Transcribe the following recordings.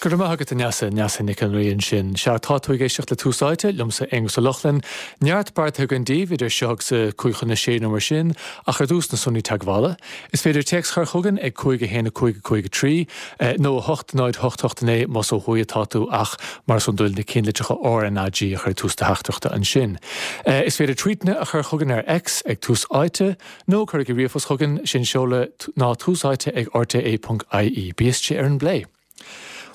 Go raibh maith agat a Neasa, Neasa Nic an Rí ansin. Sea, tá tú ag éisteacht le Tús Áite, liomsa Aonghus Ó Lochlainn. Neart beartaithe againn daoibh idir seo agus a 5:55 nó mar sin, ach ar dtús na sonraí teagmhála. Is féidir téacs a chur chugainn ag 5 1 5 5 3, nó 8 0 8 8 9 más ó thuaidh atá tú ach mar is iondúil na ceannlitreacha RnaG a chur ag tús do theachtaireachta ansin. Is féidir tweetanna a chur chugainn ar X ag Tús Áite, nó cuirigí ríomhphost chugainn, sé an seoladh ná túsáite ag rte.ie. Bí istigh ar an bplé.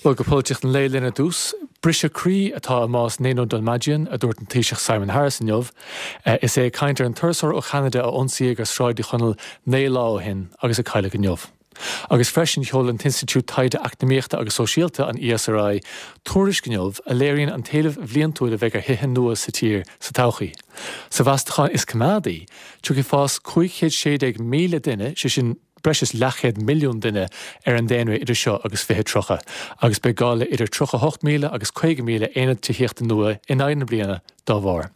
Bhuel, go polaitíocht an lae linn ar dtús. Briseadh croí atá i mbás Nino Dolmagian, a dúirt an Taoiseach Simon Harris inniu. Is é ag caint ar an turasóir ó Cheanada a ionsaíodh ar Sráid Uí Chonaill 9 lá ó shin agus a cailleadh inniu. Agus freisin sheol an tInstitiúid Taighde Eacnamaíochta agus Sóisialta, an ESRI, tuairisc inniu a léiríonn an t-éileamh bhliantúil a bheidh ar thithe nua sa tír sa todhchaí. Sa mheastachán is coimeádaí, tiocfaidh fás 516,000 duine, sé sin, breis is leathchéad milliún duine ar an daonra idir seo agus 2030, agus beidh gá le idir 38,000 agus 50,000 aonad tithíochta nua in aghaidh na bliana dá bharr.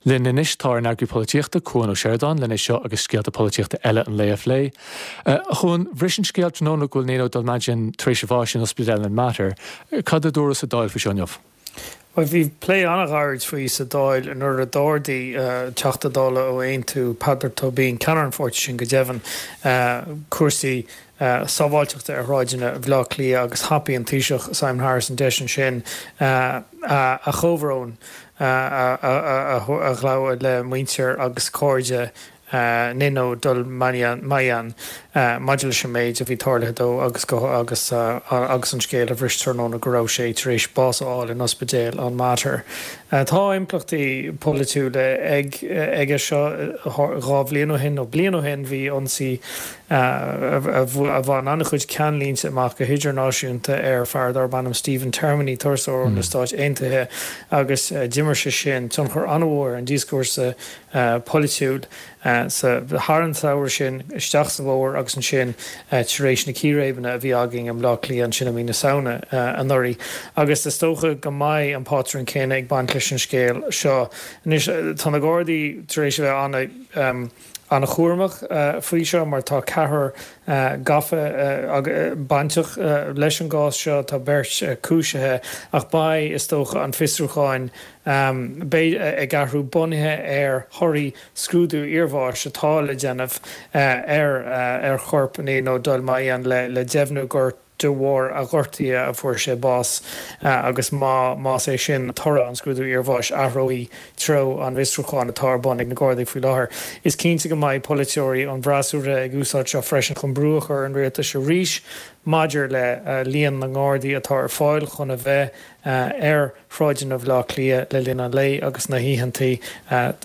Linn anois tá ár n-eagraí polaitíochta, Cuan Ó Seireadáin, lena seo agus scéalta polaitíochta eile an lae a phlé. A Chuain, bhris an scéal tráthnóna go bhfuil Nino Dolmagian tar éis a bháis in Ospidéal an Mater. Cad a dúradh sa Dáil faoi seo inniu? Bhuel, bhí plé an-ghairid faoi sa Dáil nuair a d'ardaigh Teachta Dála ó Aontú, Peadar Tóibín, ceannaire an pháirtí sin go deimhin, cúrsaí sábháilteachta ar shráideanna Bhaile Átha Cliath agus thapaigh an Taoiseach Simon Harris an deis ansin a chomhbhrón a ghlacadh le muintir agus cairde Nino Dolmagian maidir leis an méid a bhí tarlaithe dó agus agus agus an scéal a bhris tráthnóna go raibh sé tar éis bás a fháil in ospidéal an Mater. Tá impleachtaí polaitiúla ag aige seo. 2 bhliain ó shin nó bliain ó shin bhí ionsaí a bhain an-chuid ceannlínte amach go hidirnáisiúnta ar fear darb ainm Stephen Termini, turasóir ó na Stáit Aontaithe agus d'imir sé sin tionchar an-mhór ar an díoscúrsa polaitiúil sa thar an tsamhradh sin, isteach sa bhfómhar agus ansin tar éis na círéibeanna a bhí againn i mBleá Cliath ansin i mí na Samhna anuraidh. Agus is dócha go mbeidh an pátrún céanna ag baint leis an scéal seo. Anois, tá na Gardaí tar éis a bheith an-chúramach faoi seo mar tá ceathrar gafa bainteach leis an gcás seo, tá beirt cúisithe ach beidh, is dócha, an fiosrúcháin Beidh ag athrú bunaithe ar thorthaí scrúdú iarbháis atá le déanamh ar chorp Nino Dolmagian le deimhniú gur de bharr a ghortaithe a fuair sé bás agus má más é sin toradh an scrúdú iarbháis athróidh treo an bhfiosrúcháin atá ar bun ag na Gardaí faoi láthair. Is cinnte go mbeidh polaiteoirí ón bhfreasúra ag úsáid seo freisin chun brú a chur ar an rialtas arís maidir le líon na nGardaí atá ar fáil chun a bheith ar shráideanna Bhaile Átha Cliath le linn an lae agus na hoícheantaí,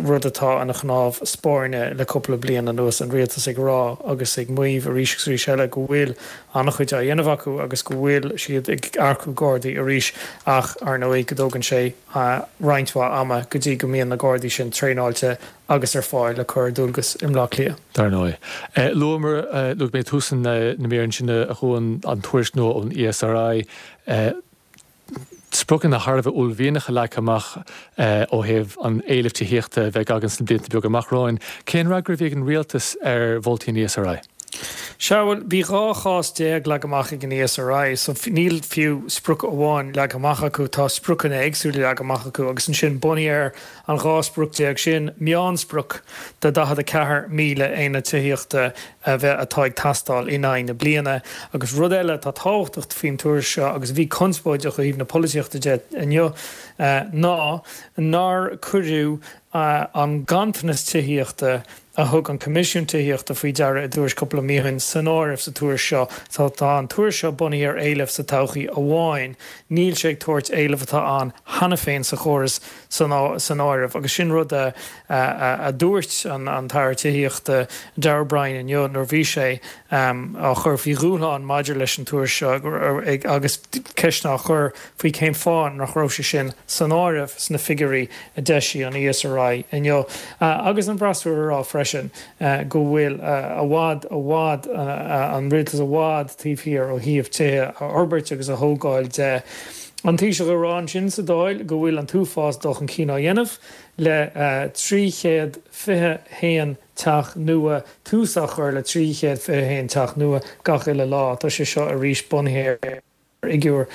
rud atá ina chnámh spairne le cúpla bliain anuas, an rialtas ag rá agus ag maíomh arís agus arís eile go bhfuil an-chuid á dhéanamh acu agus go bhfuil siad ag earcú Gardaí arís ach, ar ndóigh, go dtógann sé roinnt mhaith ama go dtí go mbíonn na Gardaí sin traenáilte agus ar fáil le cur ar dualgas i mBleá Cliath. Dar ndóigh. Luamar, luaigh mé ag tús na míre ansin a Chuain, an tuairisc nua ón ESRI, spriocanna thar a bheith uaillmhianacha leagtha amach ó thaobh an éilimh tithíochta a bheidh againn sna blianta beaga amach romhainn. Cén fhreagra a bhí ag an rialtas ar mholtaí an ESRI? Sea, bhuel, bhí 12 chás leagtha amach ag an ESRI, so níl fiú sprioc amháin leagtha amach acu, tá spriocanna éagsúla leagtha amach acu agus ansin bunaithe ar an 12 sprioc sin, meánsprioc de 44,000 aonad tithíochta a bheith atá ag teastáil in aghaidh na bliana. Agus rud eile atá tábhachtach faoin tuairisc seo, agus a bhí conspóideach ó thaobh na polaitíochta de inniu, ná nár cuireadh an ganntanas tithíochta a thug an Coimisiún Tithíochta faoi deara i dtuairisc cúpla mí ó shin san áireamh sa tuairisc seo. Tá an tuairisc seo bunaithe ar éileamh sa todhchaí amháin. Níl sé ag tabhairt éileamh atá ann cheana féin sa chóras san áireamh agus sin rud a a dúirt an tAire Tithíochta Darragh O'Brien inniu nuair a bhí sé á chur faoi dhúshlán maidir leis an tuairisc seo agus ceisteanna á chur faoi cén fáth nach raibh sé sin san áireamh sna figiúirí a d'eisigh an ESRI inniu. Agus an freasúra a rá freisin go bhfuil i bhfad, i bhfad, an rialtas i bhfad taobh thiar ó thaobh tithe a fhorbairt agus a thógáil de. An Taoiseach ag rá ansin sa Dáil go bhfuil an t-uafás dul chun cinn á dhéanamh le 321 teach nua, tús á chur le 321 teach nua gach uile lá. Tá sé seo arís bunaithe ar fhigiúr.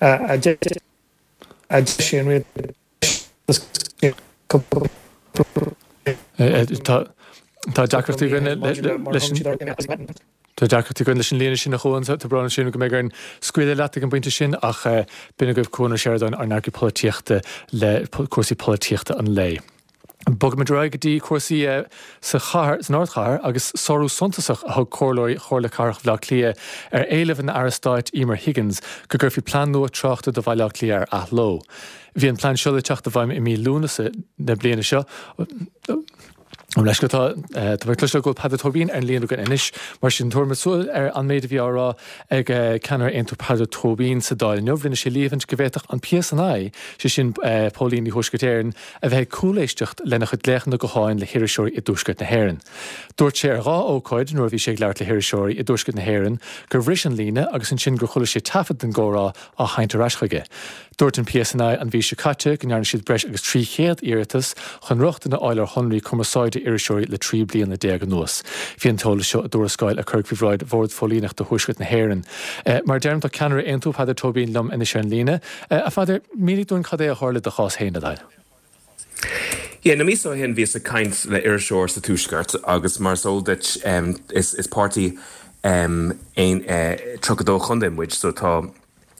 A d'eisigh an rialtas cúpla Tá deacrachtaí againn leis an Tá deacrachtaí againn leis an líne sin a Chuain, tá brón orm go mbeidh orainn scaoileadh leat ag an bpointe sin ach b'in agaibh Cuan Ó Seireadáin, ár n-eagraí polaitíochta le cúrsaí polaitíochta an lae. Bogfaimid ar aghaidh go dtí cúrsaí sa chathair, san ardchathair, agus sárú suntasach a thug comhairleoirí Chomhairle Cathrach Bhaile Átha Cliath ar éileamh an Aire Stáit Emer Higgins go gcuirfí plean nua tráchta do Bhaile Átha Cliath ar athló. Bhí an plean seo le teacht i bhfeidhm i mí Lúnasa na bliana seo. Ó leis go tá tá mé ag cloisteáil go bhfuil Peadar Tóibín ar an líne againn anois, mar sin tabharfaimid súil ar an méid a bhí á rá ag ceannaire Aontú Peadar Tóibín sa Dáil inniu. Rinne sé líomhaint go bhféadfadh an PSNI, sé sin Póilíní Thuaisceart Éireann, a bheith ag cúléisteacht lena chuid glaochanna gutháin le hiriseoirí i dTuaisceart na hÉireann. Dúirt sé ar dhá ócáid nuair a bhí sé ag labhairt le hiriseoirí i dTuaisceart na hÉireann gur bhris an líne agus ansin gur chuala sé taifead den gcomhrá á sheinnt ar ais chuige. Dúirt an PSNI an mhí seo caite go ndearna siad breis agus 300 iarratas chun rochtain a fháil ar shonraí cumarsáide iriseoirí le 13 bliana anuas. Bhí an t-eolas seo i dtuarascáil a cuireadh faoi bhráid Bhord Phóilíneachta Thuaisceart na hÉireann. Mar a deirim, tá ceannaire Aontú, Peadar Tóibín, liom anois ar an líne. A Pheadair, mínigh dúinn cad é a tharla i do chás féin, le do thoil. Yeah, na míosa ó shin bhíos ag caint le iriseoir sa Tuaisceart agus mar is eol duit is páirtí aon 32 chontae muid so tá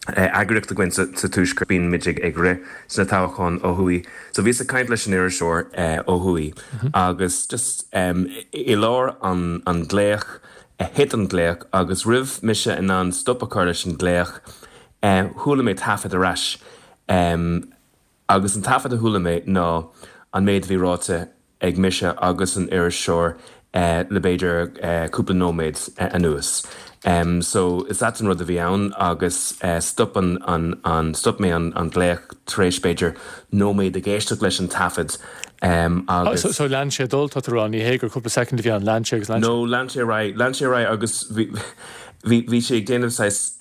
eagraíocht againn sa Tuaisceart, bíonn muid ag rith sna toghcháin ó thuaidh. So bhíos ag caint leis an iriseoir ó thuaidh agus just i lár an glaoch, thit an glaoch agus roimh mise in ann stop a chur leis an glaoch, Chuala mé taifead ar ais agus an taifead a chuala mé ná an méid a bhí ráite ag mise agus an iriseoir le b'fhéidir cúpla nóiméad anuas. So is ait an rud a bhí ann agus stop an an stop mé an glaoch tar éis b'fhéidir nóiméad ag éisteacht leis an taifead agus. So lean sé ag dul, tá tú a rá, ní hé gur cúpla soicind a bhí ann, lean sé agus lean sé. No, lean sé ar aghaidh, lean sé ar aghaidh agus bhí bhí bhí sé ag déanamh saghas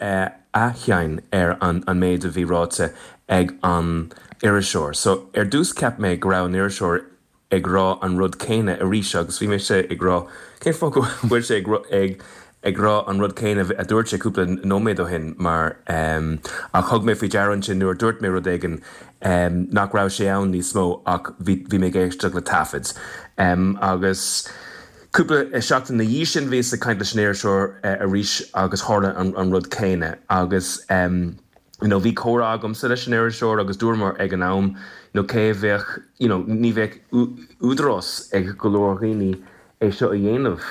athsheinm ar an méid a bhí ráite ag an iriseoir. So, ar dtús cheap mé go raibh an iriseoir ag rá an rud céanna arís agus bhí mise ag rá cén fáth go bhfuil sé ag ag rá an rud céanna a dúirt sé cúpla nóiméad ó shin mar ach thug mé faoi deara ansin nuair a dúirt mé rud éigin nach raibh sé ann níos mó ach bhí bhí mé ag éisteacht le taifead agus Cúpla seachtain ina dhiaidh sin bhíos ag caint leis an iriseoir arís agus tharla an rud céanna agus you know bhí comhrá agamsa leis an iriseoir agus dúramar ag an am you know cé a bheadh you know ní bheadh údarás ag go leor dhaoine é seo a dhéanamh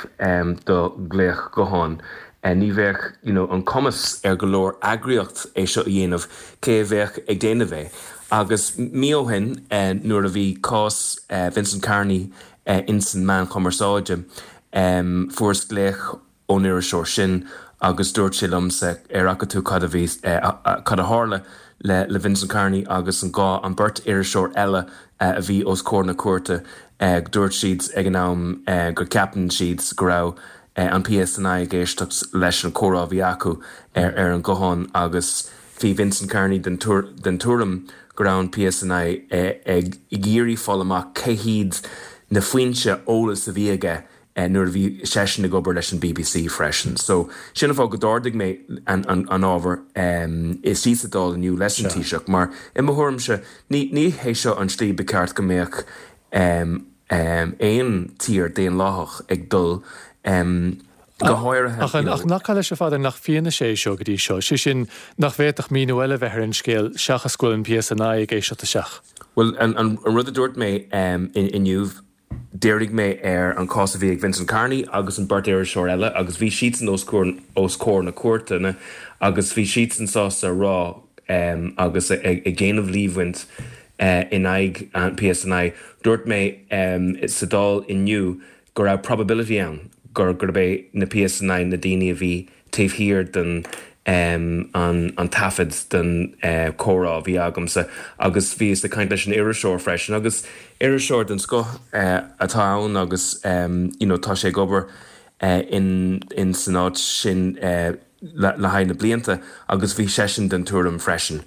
do ghlaoch gutháin. Ní bheadh you know an cumas ar go leor eagraíocht é seo a dhéanamh, cé a bheadh ag déanamh é? Agus mí ó shin nuair a bhí cás Vincent Kearney ins an meán chumarsáide. Fuaireas glaoch ón iriseoir sin agus dúirt sé liomsa ar fhaca tú cad a bhí, cad a tharla le Vincent Kearney agus an dhá, an beirt iriseoir eile a bhí os comhair na cúirte. Dúirt siad ag an am go ceapann siad go raibh an PSNI ag éisteacht leis an comhrá a bhí acu ar an guthán agus Bhí Vincent Kearney den tuairim go raibh an PSNI ag iarraidh fáil amach cé hiad na foinse eolais a bhí aige nuair a bhí seisean ag obair leis an bbc freisin. So, sin an fáth go d'ardaigh mé an ábhar istigh sa Dáil inniu leis an Taoiseach mar i mo thuairimse ní hé seo an tslí ba cheart go mbeadh aon tír daonlathach ag dul. Go háirithe, Ach you know. Ach nach leis, a Pheadair, nach fianaise é seo go dtí seo, sé sin, nach bhféadfadh míniú eile bheith ar an scéal seachas go bhfuil an PSNI ag éisteacht isteach? Bhuel, an rud a dúirt mé inniu, dhírigh mé ar an cás a bhí ag Vincent Kearney agus an beirt iriseoir eile agus bhí siadsan os comhair na cúirte agus bhí siadsan sásta a rá agus ag déanamh líomhaint in aghaidh an PSNI. Dúirt mé sa Dáil inniu go raibh probability ann gur gurb é na PSNI na daoine a bhí taobh thiar den an taifead den comhrá a bhí agamsa agus bhíos ag caint leis an iriseoir freisin agus iriseoir den scoth atá ann agus you know tá sé ag obair in in san áit sin le haghaidh na blianta agus bhí seisean den tuairim freisin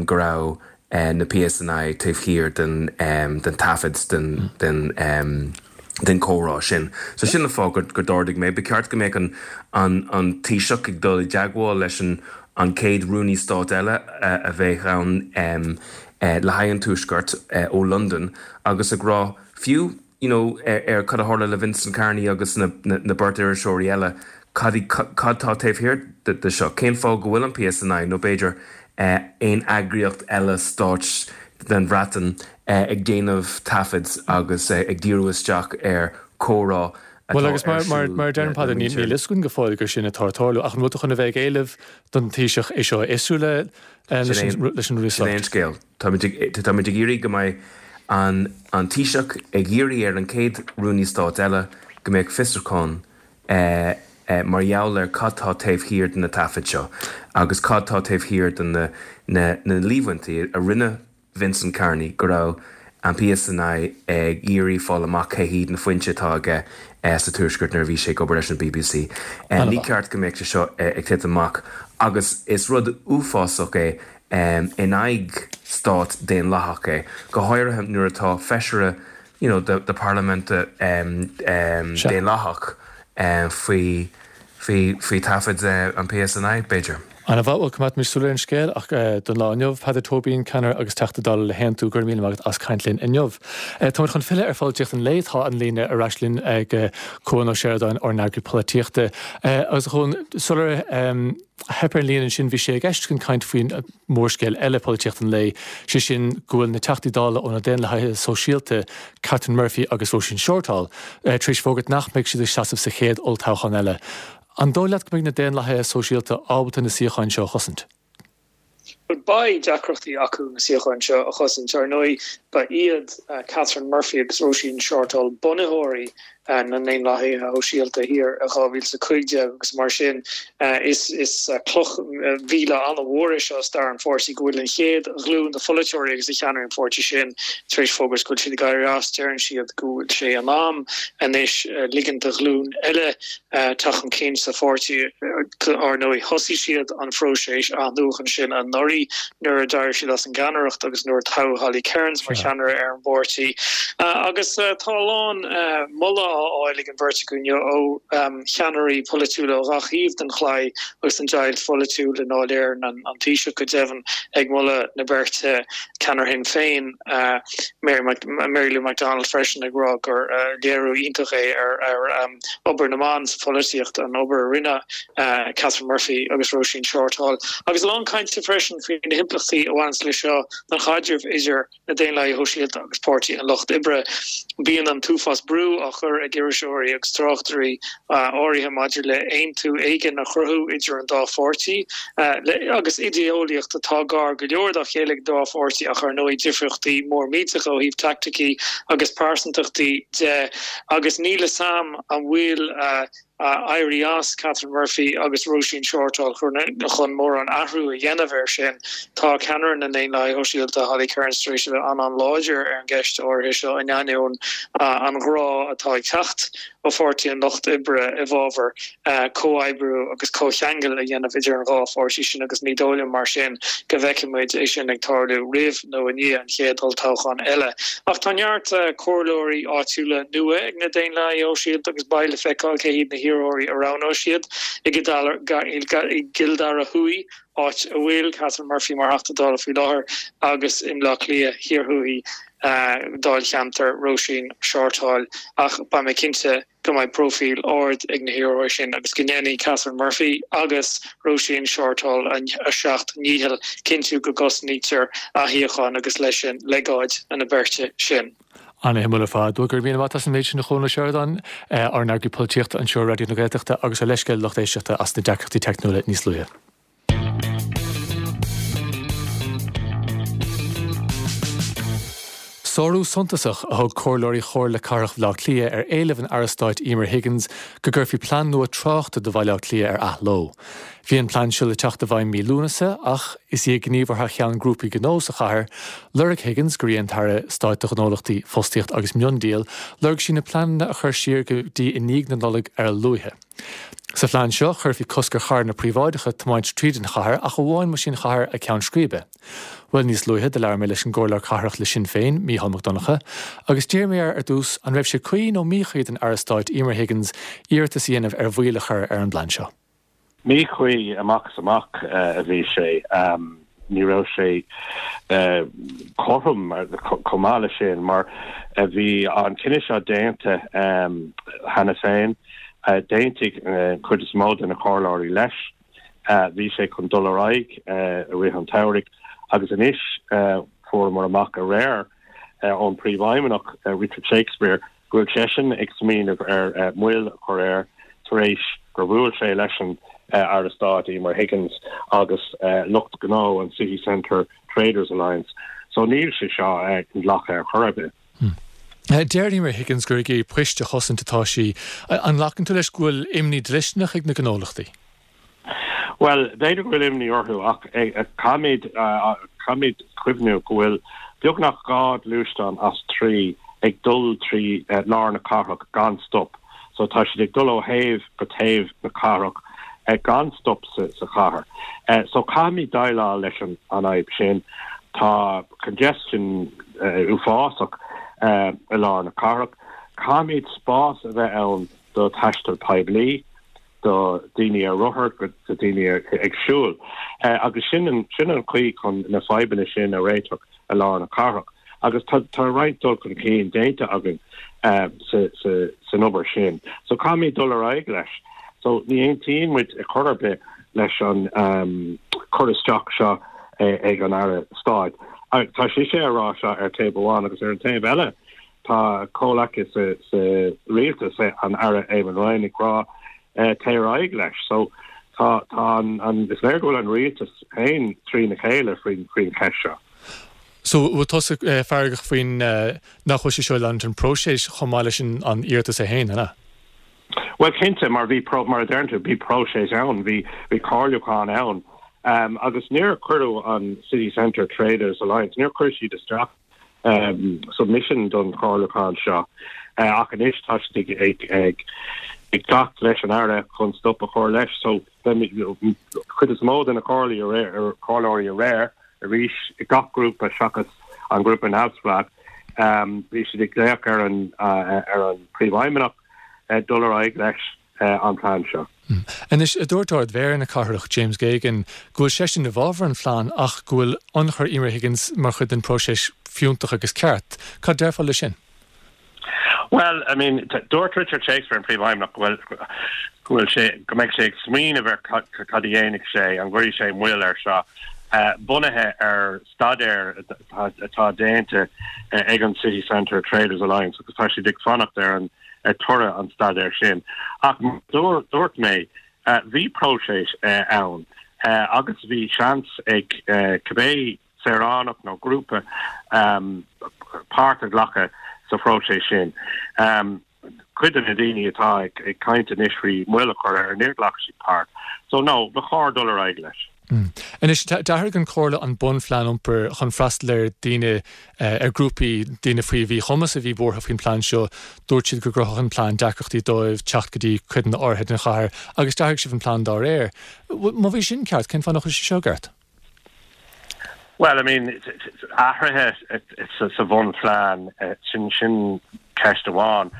go raibh na PSNI taobh thiar den den taifead den den den chomhrá sin. So sin an fáth gur gur d'ardaigh mé. Ba cheart go mbeadh an an an Taoiseach ag dul i dteagmháil leis an. an chéad Rúnaí Stáit eile a bheidh ann le haghaidh an Tuaiscirt ó Londain agus ag rá fiú you know ar cad a tharla le Vincent Kearney agus na beirt iriseoirí eile, cad cad tá taobh thiar de seo, cén fáth go bhfuil an PSNI nó b'fhéidir aon eagraíocht eile stáit den Bhreatain ag déanamh taifid agus ag díriú isteach ar chomhrá atá Bhuel agus mar mar mar a deirim Peadar níl níl fhios againn go fóill gur sin atá ag tarlú ach an bhfuil tú chun a bheith ag éileamh don Taoiseach é seo a fhiosrú le leis an leis an Sin é an scéal. Táimid ag táimid ag iarraidh go mbeidh an an Taoiseach ag iarraidh ar an chéad Rúnaí Stáit eile go mbeadh fiosrúchán mar gheall ar cad tá taobh thiar de na taifid seo agus cad tá taobh thiar de na na na líomhaintí a rinne Vincent Kearney go raibh an PSNI ag iarraidh fáil amach cé hiad na foinse atá aige sa Tuaisceart nuair a bhí sé ag obair leis an bbc. Ní ceart go mbeadh sé seo ag titim amach agus is rud uafásach é in aghaidh stát daonlathach é, go háirithe nuair atá feisire you know de parlaimint daonlathach faoi faoi faoi taifid an PSNI, b'fhéidir. Ana-mhaith, bhuel coimeádfaimid súil ar an scéal ach don lá inniu, Peadar Tóibín, ceannaire agus Teachta Dála le hAontú, go raibh míle maith agat as caint linn inniu. Táimid chun filleadh ar pholaitíocht an lae, tá an líne ar ais linn ag Cuan Ó Seireadáin, ár n-eagraí polaitíochta. Agus a Chuain, sular theip ar an líne ansin, bhí sé i gceist chun caint faoin mórscéal eile polaitíocht an lae, sé sin go bhfuil na Teachtaí Dála ó na Daonlathaithe Sóisialta, Catherine Murphy agus Róisín Shortall, tar éis fógairt nach mbeidh siad ag seasamh sa chéad olltoghchán eile. An dóigh leat go mbeidh na Daonlathaithe Sóisialta ábalta na suíocháin seo a chosaint? Bhuel, beidh deacrachtaí acu na suíocháin seo a chosaint. Ar ndóigh, ba iad Catherine Murphy agus Róisín Shortall bunaitheoirí na nDaonlathaithe Shóisialta thiar i 2015 agus mar sin is cloch mhíle an-mhór é seo i stair an pháirtí go bhfuil an chéad ghlúin de pholaiteoirí agus de cheannairí an pháirtí sin tar éis fógairt go bhfuil siad ag éirí as. Deireann siad go bhfuil sé in am anois ligean do ghlúin eile teacht chun cinn sa pháirtí. Ar ndóigh thosaigh siad an phróiseas athnuachan sin anuraidh nuair a d'éirigh siad as an gceannaireacht agus nuair a toghadh Holly Cairns mar cheannaire ar an bpáirtí. Agus tá a lán moladh á fháil ag an bheirt acu inniu ó cheannairí polaitiúla ó ghach thaobh den chlaí agus den deighilt pholaitiúil i nDáil Éireann, an Taoiseach go deimhin ag moladh na beirte, ceannaire Shinn Féin, Mary Lou McDonald freisin ag rá gur léiriú iontach é ar obair na mban sa pholaitíocht, an obair a rinne Catherine Murphy agus Róisín Shortall. Agus a lán cainte freisin faoi na himpleachtaí a bhaineanns leis seo don chaidreamh idir na Daonlathaithe Shóisialta agus Páirtí an Lucht Oibre. Bíonn an t-uafás brú á chur ag iriseoirí agus tráchtairí áirithe maidir le aontú éigin a chruthú idir an dá pháirtí, agus idé-eolaíocht atá gar go leor dá chéile ag an dá pháirtí ach ar ndóigh difríochtaí mór millteacha ó thaobh teaicticí agus pearsantachtaí de. Agus níl fhios a'm an bhfuil éirí as Catherine Murphy agus Róisín Shortall chun mórán athrú a dhéanamh air sin. Tá ceannaire na nDaonlathaithe Shóisialta, Holly Cairns, tar éis a bheith an-an-láidir ar an gceist áirithe seo in ainneoin an ghrá atá ag teacht ó Pháirtí an Lucht Oibre i bhfabhar comhoibriú agus comhcheangal a dhéanamh idir an dhá pháirtí sin agus ní dóigh liom mar sin go bhfeicfidh muid é sin ag tarlú roimh nó i ndiaidh an chéad olltoghcháin eile. Ach tá neart comhairleoirí áitiúla nua ag na Daonlathaithe Shóisialta agus beidh le feiceáil cé hiad na hiarrthóirí a roghnóidh siad i gCill Dara Thuaidh, áit a bhfuil Catherine Murphy mar Theachta Dála faoi láthair, agus i mBleá Cliath Thiar Thuaidh, dáilcheantar Róisín Shortall. Ach beidh mé cinnte go mbeidh próifíl ard ag na hiarrthóirí sin agus go ndéanfaidh Catherine Murphy agus Róisín Shortall a seacht ndícheall cinntiú go gcosnaítear a shuíocháin agus leis sin legáid na beirte sin. Ana-shuimiúil ar fad. Bhuel, go raibh míle maith agat as an méid sin a Chuan Ó Seireadáin, ár n-eagraí polaitíochta anseo ar Raidió na Gaeltachta agus ár leithscéal lucht éisteachta as na deacrachtaí teicniúla níos luaithe. Sárú suntasach a thug comhairleoirí Chomhairle Cathrach Bhaile Átha Cliath ar éileamh an Aire Stáit Emer Higgins go gcuirfí plean nua tráchta do Bhaile Átha Cliath ar athló. Bhí an plean seo le teacht i bhfeidhm mí Lúnasa ach is í ag gníomhartha cheann grúpaí gnó sa chathair, lorg Higgins, gur í an tAire Stáit do Ghnólachtaí, Fostaíocht agus Miondíol, lorg sí na pleananna a chur siar go dtí i ndiaidh na Nollag ar a luaithe. Sa phlean seo, chuirfí cosc ar charranna príobháideacha tiomáint tríd an chathair ach amháin más í an chathair a ceann scríbe. Bhuel, níos luaithe, do labhair mé leis an gComhairleoir Cathrach le Sinn Féin, Mícheál Mac Donncha, agus d'iarr mé air ar dtús an raibh sé cuí nó míchuí don Aire Stáit Emer Higgins iarratas a dhéanamh ar mhoill a chur ar an bplean seo. Míchuí amach is amach a bhí sé. Ní raibh sé cothrom chomh maith leis sin mar bhí an cinneadh seo déanta cheana féin. D'aontaigh an chuid is mó de na comhairleoirí leis. Bhí sé chun dul ar aghaidh i rith an tsamhraidh agus anois fuaireamar amach aréir ón Príomhfheidhmeannach Richard Shakespeare go bhfuil seisean ag smaoineamh ar moill a chur air tar éis gur bhuail sé leis an Aire Stáit Emer Higgins agus lucht gnó an City Centre Traders Alliance. So níl sé seo inghlactha ar chor ar bith. Deir Emer Higgins gur ag iarraidh poist a chosaint atá sí. An nglacann tú leis go bhfuil imní dlisteanach ag na gnólachtaí? Bhuel, b'fhéidir go bhfuil imní orthu ach caithfimid, caithfimid cuimhniú go bhfuil beagnach 2 ghluaisteán as 3 ag dul trí lár na cathrach gan stop. So tá siad ag dul ó thaobh go taobh na cathrach gan stop sa chathair. So caithfimid déileáil leis an fhadhb sin. Tá congestion uafásach i lár na cathrach. Caithfimid spás a bheith ann do thaisteal poiblí. do daoine ar rothar, do daoine ag siúl. Agus sin an chaoi chun na fadhbanna sin a réiteach i lár na cathrach. Agus tá roinnt dul chun cinn déanta againn san obair sin. So caithfimid dul ar aghaidh leis. So ní aontaíonn muid ar chor ar bith leis an cur isteach seo ag an Aire Stáit. Tá sise ag rá seo ar taobh amháin agus ar an taobh eile, Tá a comhleacaí sa rialtas, an Aire Eamon Ryan, ag rá téigh ar aghaidh leis. So tá tá an is léir go bhfuil an rialtas féin trína chéile faoin cheist seo. So bhfuil tusa feargach faoin nach bhfuil sé seo ag leanúint an próiseas chomh maith leis an iarratas é féin, an ea? Bhuel cinnte, mar bhí mar a deireann tú, bhí próiseas ann, bhí bhí comhairliúchán ann agus níor cuireadh an City Centre Traders Alliance, níor chuir siad isteach submission don chomhairliúchán seo ach anois tá siad ag ag teacht leis an Aire chun stop a chur leis. So chuid is mó de na comhairleoirí aréir arís i gach grúpa seachas an grúpa neamhspleách bhí siad ag glaoch ar an ar an Príomhfheidhmeannach dul ar aghaidh leis. an plean seo. Anois, dúirt Ard-Mhéara na cathrach, James Geoghegan, go bhfuil seisean i bhfabhar an phlean ach go bhfuil ionchur Emer Higgins mar chuid den phróiseas fiúntach agus ceart. Cad déarfá leis sin? Bhuel, I mean, dúirt Richard Shakespeare, an Príomhfheidhmeannach, go bhfuil, go bhfuil sé, go mbeidh sé ag smaoineamh ar cad a dhéanfaidh sé, an gcuirfidh sé moill air seo, bunaithe ar staidéar atá déanta ag an City Centre Traders Alliance agus tá siad ag fanacht ar an ar toradh an staidéir sin. Ach mar a dúirt mé, bhí próiseas ann agus bhí seans ag cibé saoránach nó grúpa páirt a ghlacadh sa phróiseas sin. Cuid de na daoine atá ag caint anois faoi mhoill a chur air, níor ghlac siad páirt. So no, ba chóir dul ar aghaidh leis. Anois, d'athraigh an Chomhairle an bunphlean iompair chun freastal ar daoine, ar grúpaí daoine faoi mhíchumas a bhí buartha faoin plean seo. Dúirt siad go gcruthódh an plean deacrachtaí dóibh teacht go dtí codanna áirithe den chathair agus d'athraigh sibh an plean dá réir. Má bhí sin ceart, cén fáth nach bhfuil sé seo ceart? Bhuel, I mean, athruithe sa bhunphlean, sin sin ceist amháin,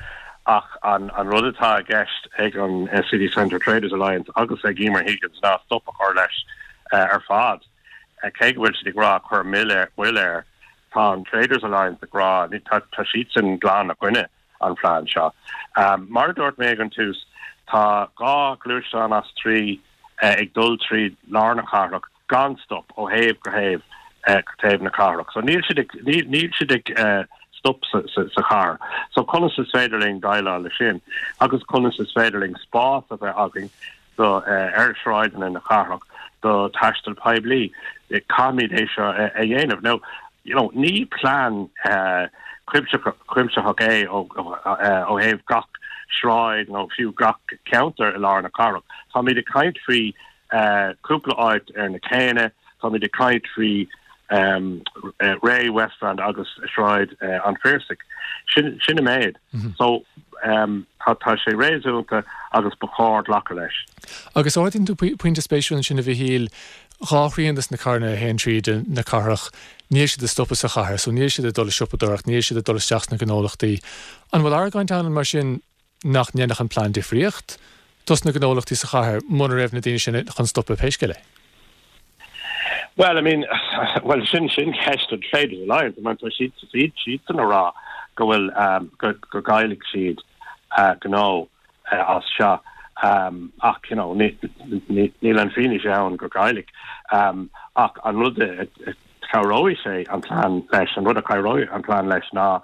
ach an rud atá i gceist ag an City Centre Traders Alliance agus ag Emer Higgins ná stop a chur leis ar fad. Cé go bhfuil siad ag rá cuir moill air, tá an Traders Alliance ag rá, tá siadsan glan i gcoinne an phlean seo. Mar a dúirt mé ag an tús, tá 2 ghluaisteán as 3 ag dul tríd lár na cathrach gan stop ó thaobh go thaobh go taobh na cathrach. So níl siad ag níl siad ag stop sa sa chathair. So conas is féidir linn déileáil leis sin agus conas is féidir linn spás a bheith againn do ar shráideanna na cathrach do thaisteal poiblí. Caithfimid é seo a dhéanamh. Now, you know, ní plean cuimsitheach é ó thaobh gach sráid nó fiú gach ceantar i lár na cathrach. Táimid ag caint faoi cúpla áit ar na céanna, táimid ag caint faoi Rae, Westland agus Sráid an Phiarsaigh. Sin sin an méid. So tá tá sé réasúnta agus ba chóir glacadh leis. Agus ardaíonn tú pointe spéisiúil ansin a Mhichíl, 2 thrian des na carranna a théann tríd na cathrach, níl siad ag stopadh sa chathair, so níl siad ag dul ag siopadóireacht, níl siad ag dul isteach sna gnólachtaí. An bhfuil argóint ann mar sin nach ndéanfadh an plean difríocht? dos na gnólachtaí sa chathair muna raibh na daoine sin chun stopadh pé scéal é. Well, I mean, well sin sin ceist don Traders Alliance, I mean tá siad siad siadsan a rá go bhfuil go go gcaillfidh siad gnó as seo ach you know níl an fianaise ann go gcaillfidh ach an rud a chabhróidh sé an plean leis, an rud a chabhróidh an plean leis ná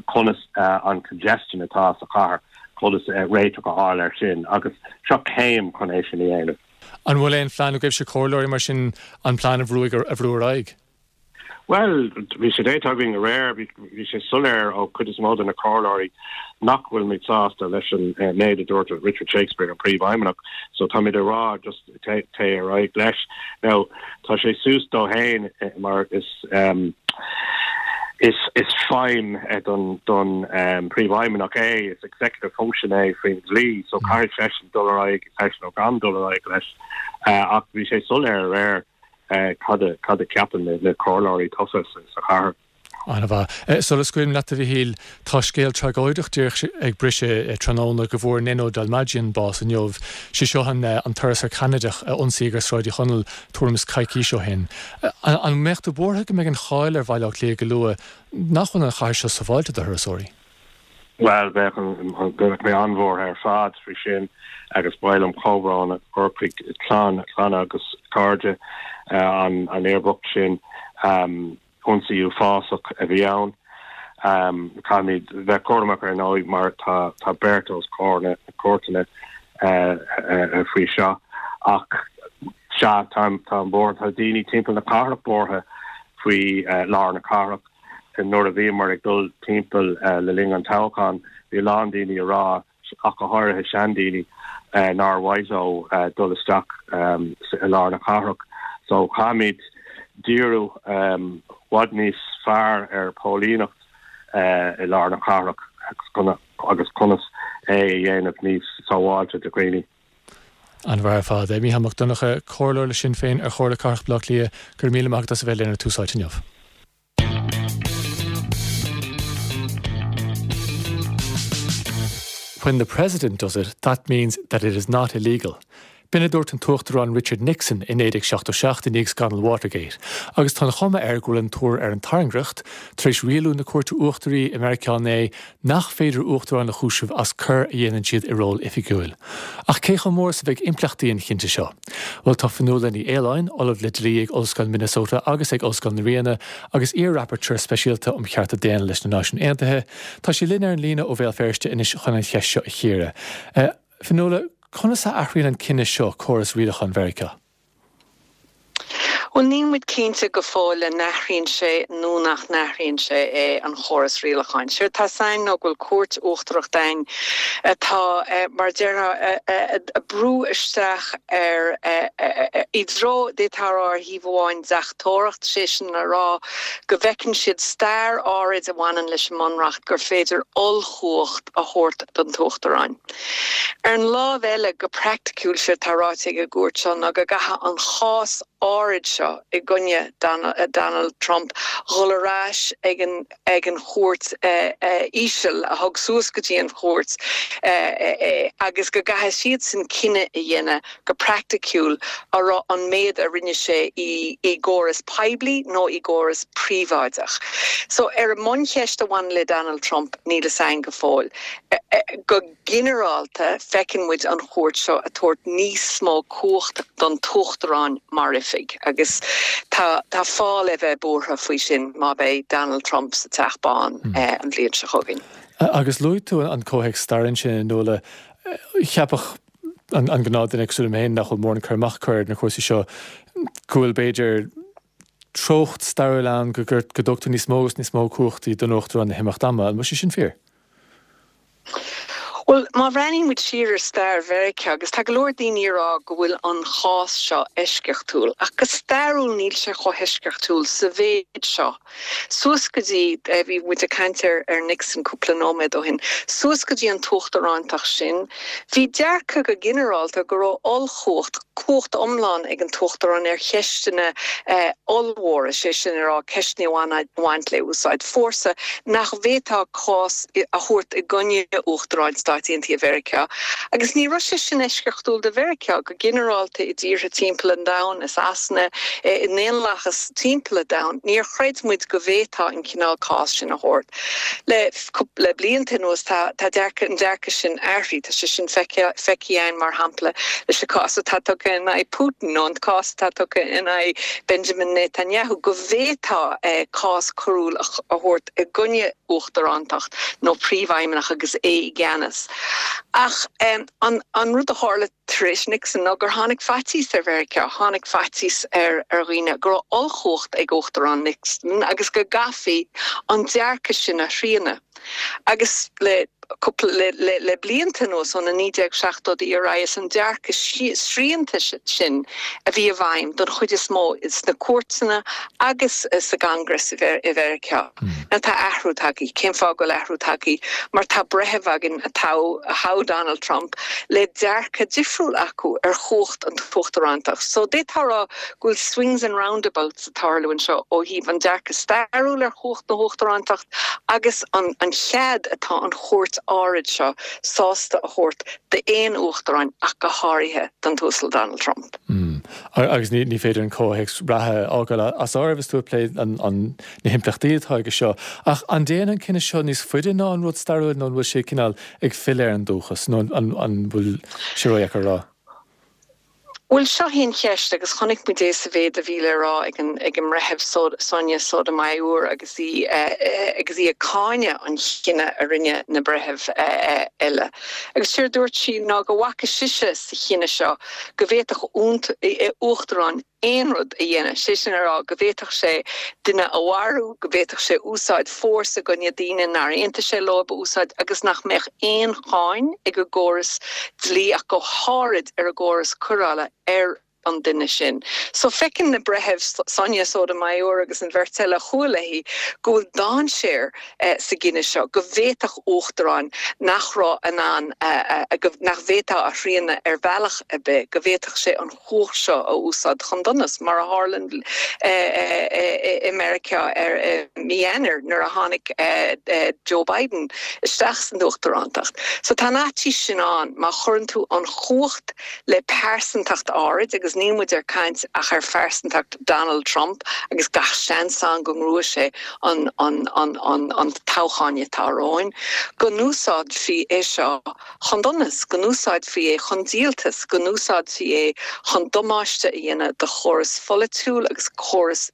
conas an congestion atá sa chathair, conas réiteach a fháil air sin agus seo céim chun é sin a dhéanamh. An bhfuil aon phlean agaibhse comhairleoirí mar sin an plean a bhrú a bhrú ar aghaidh? Bhuel, bhí sé déanta againn aréir, bhí sé soiléir ó chuid is mó de na comhairleoirí nach bhfuilimid sásta leis an méid a dúirt Richard Shakespeare, an Príomhfheidhmeannach, so táimid ag rá just téigh ar aghaidh leis. Now, tá sé suas dó fhéin mar is is is feidhm don don Príomhfheidhmeannach é, is executive function é faoin dlí, so caithfidh seisean dul ar aghaidh leis nó gan dul ar aghaidh leis. Ach bhí sé soiléir aréir cad a cad a ceapann na comhairleoirí tofa sa chathair. An-mhaith. Sula scaoilim leat, a Mhichíl, tá scéal tragóideach díreach ag briseadh tráthnóna go bhfuair Neno Dalmajian bás inniu. Sé seo an an turasóir Ceanadach a ionsaíodh ar Sráid Uí Chonaill tuairim is coicís ó shin. An mbeadh tú buartha go mbeidh an cháil ar Bhaile Átha Cliath go luath nach bhfuil an chathair seo sábháilte do thurasóirí? Bhuel, bheadh, bheadh mé an-bhuartha ar fad faoi sin agus ba mhaith liom comhbhrón a chur chuig clann, clanna agus cairde an an fhir bhoicht sin. Ionsaí uafásach a bhí ann. Caithfimid bheith cúramach ar ndóigh mar tá tá beirt os comhair na cúirteanna faoi seo ach sea, táim táim buartha, tá daoine timpeall na cathrach buartha faoi lár na cathrach. Nuair a bhíomar ag dul timpeall le linn an toghcháin, bhí a lán daoine ag rá, ach go háirithe seandaoine, nár mhaith leo dul isteach i lár na cathrach. So caithfimid díriú i bhfad níos fearr ar póilíneacht i lár na cathrach agus conas é a dhéanamh níos sábháilte do dhaoine. An-mhaith ar fad. Mícheál Mac Donncha, Comhairleoir le Sinn Féin ar Chomhairle Cathrach Bhaile Átha Cliath, go raibh míle maith agat as a bheith linn ar Tús Áite inniu. When the President does it, that means that it is not illegal. B'in a dúirt an tUachtarán Richard Nixon i 1977 i ndiaidh scannal Watergate, agus tá an chuma air go bhfuil an tuar ar an tairngreacht, tar éis rialú na Cúirte Uachtaraí i Meiriceá inné nach féidir uachtaráin a chúiseamh as coir a dhéanann siad i ról oifigiúil. Ach cé chomh mór is a bheidh impleachtaí an chinnte seo? Bhuel, tá Fionnuala Ní Aoláin, Ollamh le Dlí ag Ollscoil Minnesota agus ag Ollscoil na Ríona, agus iar-Rapporteur Speisialta um Chearta Daonna leis na Náisiúin Aontaithe, tá sí linn ar an líne ó Bhéal Feirste anois chun an cheist seo a chíoradh. Fionnuala, conas a athraíonn an cinneadh seo córas rialacháin Mheiriceá? Bhuel, níl muid cinnte go fóill an n-athraíonn sé nó nach n-athraíonn sé é, an chóras rialacháin. Séard tá 'fhios a'inn ná go bhfuil cúirt uachtarach againn atá, mar a déarfá, ag brú isteach ar, i dtreo, d'fhéadfá a rá ar thaobh amháin, deachtóireacht, sé sin le rá go bhfeiceann siad stair áirid a bhaineann leis an mBunreacht gur féidir ollchumhacht a thabhairt don tUachtarán. Ar an láimh eile, go praiticiúil, séard tá ráite ag an gcúirt seo ná go gcaithfidh an chás áirid seo i gcoinne Donald Trump dhul ar ais ag an ag an chúirt íseal a thug suas go dtí an chúirt é agus go gcaithfidh siadsan cinneadh a dhéanamh go praiticiúil an raibh an méid a rinne sé i gcóras poiblí nó i gcóras príobháideach. So ar an mbuncheist a bhaineann le Donald Trump níl fhios a'inn go fóill. Go ginearálta, feiceann muid an chúirt seo ag tabhairt níos mó cumhacht don tUachtarán mar oifig agus tá tá fáth le bheith buartha faoi sin má bheidh Donald Trump sa Teach Bán an bhliain seo chugainn. Agus luaigh tú an comhthéacs staire ansin, a Fhionnuala. Cheapfadh an gnáthduine cosúil liom féin nach bhfuil mórán cur amach acu ar na cúrsaí seo go bhfuil b'fhéidir treocht stairiúil ann go dtugtar níos mó agus níos mó cumhachtaí don Uachtarán le himeacht ama. An bhfuil sé sin fíor? Bhuel, má bhreathnaíonn muid siar ar stair Mheiriceá, agus tá go leor daoine ag rá go bhfuil an chás seo eisceachtúil, ach go stairiúil níl sé chomh heisceachtúil sa mhéid seo. Suas go dtí, bhí muid ag caint ar Nixon cúpla nóiméad ó shin, suas go dtí an t-uachtarántacht sin, Bhí dearcadh go ginearálta go raibh ollchumhacht, cumhacht iomlán ag an tUachtarán ar cheisteanna ollmhóra, sé sin a rá, ceisteanna a bhain le úsáid fórsa, nach bhféadfá cás a thabhairt i gcoinne Uachtaráin. Stáit Aontaithe Mheiriceá. Agus ní raibh sé sin eisceachtúil do Mheiriceá, go ginearálta i dtíortha timpeall an domhain, i Sasana, i ndaonlathas timpeall an domhain, níor chreid muid go bhféadfá an cineál cás sin a thabhairt. Le le blianta anuas tá tá dearcadh an dearcadh sin athraithe. Tá sé sin feicthe againn mar shampla leis an cás atá tugtha in aghaidh Putin nó an cás atá tugtha in aghaidh Benjamin Netanyahu go bhféadfá cás coiriúil a thabhairt i gcoinne uachtarántacht nó príomhfheidhmeannach agus é i gceannas. Ach an an rud a tharla tar éis Nixon ná gur tháinig faitíos ar Mheiriceá, tháinig faitíos ar ar dhaoine go raibh ollchumhacht ag Uachtarán Nixon agus go gcaithfí an dearcadh sin a shrianadh. Agus le cúpla, le, le, le blianta anuas, ó na 1970idí ar aghaidh, is an dearcadh srianta sin a bhí i bhfeidhm don chuid is mó sna cúirteanna agus sa gCongress i Mheiriceá. Now tá athrú tagtha. Cén fáth go bhfuil athrú tagtha? Mar tá breitheamh againn a toghadh, a thogh Donald Trump, le dearcadh difriúil acu ar chumhacht an t-uachtarántacht. So d'fhéadfá a rá go bhfuil swings and roundabouts ag tarlú anseo ó thaobh an dearcadh stairiúil ar chumhacht na huachtarántacht agus an an chead atá an chúirt áirid seo sásta a thabhairt d'aon uachtaráin ach go háirithe don tUasal Donald Trump. Agus ní féidir an comhthéacs reatha a fhágáil as áireamh is tú ag plé na himpleachtaí atá aige seo. Ach an dtéann an cinneadh seo níos faide ná an rud stairiúil nó an bhfuil sé cineál ag filleadh ar an dúchas nó an bhfuil sé ródheacair a rá? Bhuel, seo í an cheist, agus chonaic muid é sa mhéid a bhí le rá ag an ag an mBreitheamh Sonia Sotomayor agus í agus í ag cáineadh an chinnidh a rinne na breithimh eile. Agus séard a dúirt sí ná go bhfaca sise sa chinneadh seo go bhféadfadh uachtarán aon rud a dhéanamh, sé sin a rá go bhféadfadh sé duine a mharú, go bhféadfadh sé úsáid fórsa i gcoinne daoine nár aontaigh sé leo a úsáid agus nach mbeadh aon cháin ag an gcóras dlí ach go háirid ar an gcóras coireála ar an duine sin. So feiceann na breithimh, Sonia Sotomayor agus an bheirt eile a chuaigh léi, go bhfuil dainséar sa gcinneadh seo, go bhféadfadh uachtarán nach raibh in ann, nach bhféadfá a shrianadh ar bhealach ar bith, go bhféadfadh sé an chumhacht seo a úsáid chun donais, mar a tharla i Meiriceá i mí Eanáir nuair a tháinig Joe Biden isteach san uachtarántacht. So tá an fhaitíos sin ann má chuireann tú an chumhacht le pearsantacht áirid, agus níl muid ar caint ach ar phearsantacht Donald Trump agus gach seans ann go ngnóthóidh sé an an toghchán atá romhainn, go n-úsáidfí é seo chun donais, go n-úsáidfí é chun díoltais, go n-úsáidfí é chun damáiste a dhéanamh do chóras pholaitiúil agus córas